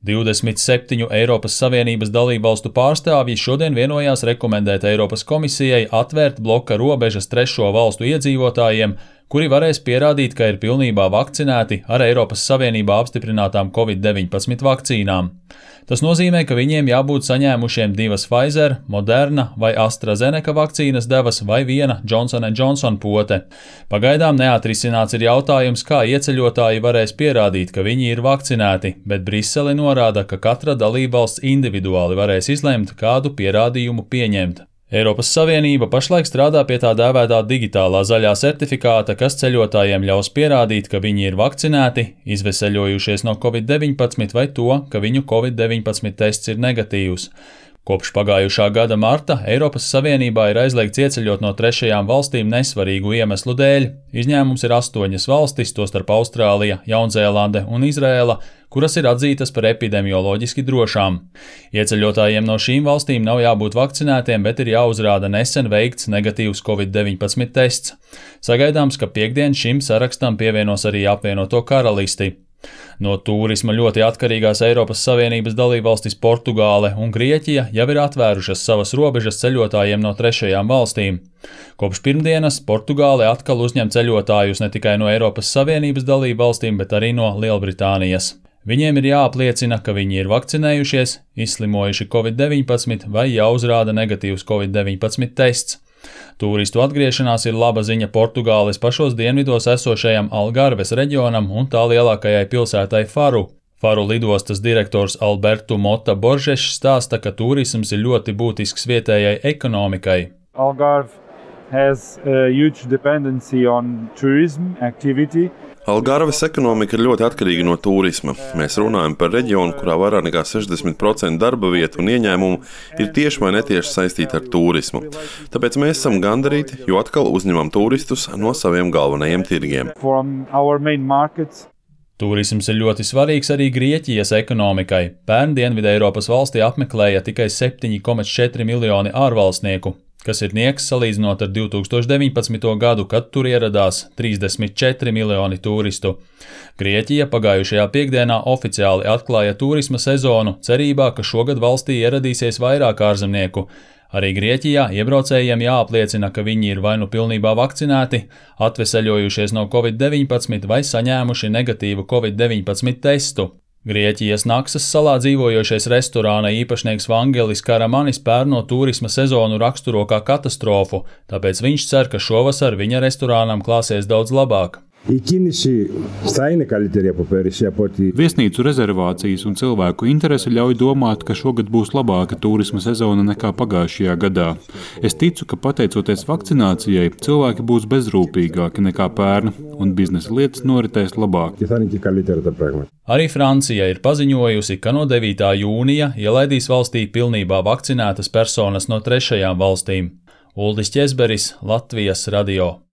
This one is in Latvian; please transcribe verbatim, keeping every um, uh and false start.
divdesmit septiņu Eiropas Savienības dalībvalstu pārstāvji šodien vienojās rekomendēt Eiropas komisijai atvērt bloka robežas trešo valstu iedzīvotājiem, kuri varēs pierādīt, ka ir pilnībā vakcinēti ar Eiropas Savienībā apstiprinātām covid deviņpadsmit vakcīnām. Tas nozīmē, ka viņiem jābūt saņēmušiem divas Pfizer, Moderna vai AstraZeneca vakcīnas devas vai viena Johnson and Johnson pote. Pagaidām neatrisināts ir jautājums, kā ieceļotāji varēs pierādīt, ka viņi ir vakcinēti, bet Brisele norāda, ka katra dalībvalsts individuāli varēs izlemt, kādu pierādījumu pieņemt. Eiropas Savienība pašlaik strādā pie tā dēvētā digitālā zaļā certifikāta, kas ceļotājiem ļaus pierādīt, ka viņi ir vakcinēti, izveseļojušies no covid deviņpadsmit vai to, ka viņu covid deviņpadsmit tests ir negatīvs. Kopš pagājušā gada marta Eiropas Savienībā ir aizliegts ieceļot no trešajām valstīm nesvarīgu iemeslu dēļ. Izņēmums ir astoņas valstis, tostarp Austrālija, Jaunzēlande un Izrēla, kuras ir atzītas par epidemioloģiski drošām. Ieceļotājiem no šīm valstīm nav jābūt vakcinētiem, bet ir jāuzrāda nesen veikts negatīvs covid deviņpadsmit tests. Sagaidāms, ka piektdien šim sarakstam pievienos arī apvienoto karalisti. No tūrisma ļoti atkarīgās Eiropas Savienības dalībvalstis Portugāle un Grieķija jau ir atvērušas savas robežas ceļotājiem no trešajām valstīm. Kopš pirmdienas Portugāle atkal uzņem ceļotājus ne tikai no Eiropas Savienības dalībvalstīm, bet arī no Lielbritānijas. Viņiem ir jāapliecina, ka viņi ir vakcinējušies, izslimojuši covid deviņpadsmit vai jāuzrāda negatīvs covid deviņpadsmit tests. Tūristu atgriešanās ir laba ziņa Portugāles pašos dienvidos esošajam Algarves reģionam un tā lielākajai pilsētai Faru. Faru lidostas direktors Alberto Mota Borgešs stāsta, ka tūrisms ir ļoti būtisks vietējai ekonomikai. Algarve has a huge dependency on tourism activity. Algarves ekonomika ir ļoti atkarīga no tūrisma. Mēs runājam par reģionu, kurā vairāk nekā sešdesmit procenti darba vietu un ieņēmumu ir tieši vai netieši saistīti ar tūrismu. Tāpēc mēs esam gandarīti, jo atkal uzņemam turistus no saviem galvenajiem tirgiem. Tūrisms ir ļoti svarīgs arī Grieķijas ekonomikai. Pērn Dienvidu Eiropas valstī apmeklēja tikai septiņi komats četri miljoni ārvalstnieku, kas ir nieks salīdzinot ar divtūkstoš deviņpadsmito gadu, kad tur ieradās trīsdesmit četri miljoni turistu. Grieķija pagājušajā piekdienā oficiāli atklāja turisma sezonu, cerībā, ka šogad valstī ieradīsies vairāk ārzemnieku. Arī Grieķijā iebraucējiem jāapliecina, ka viņi ir vai nu pilnībā vakcinēti, atveseļojušies no covid deviņpadsmit vai saņēmuši negatīvu covid deviņpadsmit testu. Grieķijas Naksas salā dzīvojošais restorāna īpašnieks Vangelis Karamanis pērn no turisma sezonu raksturo kā katastrofu, tāpēc viņš cer, ka šovasar viņa restorānam klāsies daudz labāk. Viesnīcu rezervācijas un cilvēku interese ļauj domāt, ka šogad būs labāka turisma sezona nekā pagājušajā gadā. Es ticu, ka pateicoties vakcinācijai, cilvēki būs bezrūpīgāki nekā pērn un biznesa lietas noritēs labāk. Arī Francija ir paziņojusi, ka no devītā jūnija ielaidīs valstī pilnībā vakcinētas personas no trešajām valstīm. Uldis Ķezberis, Latvijas radio.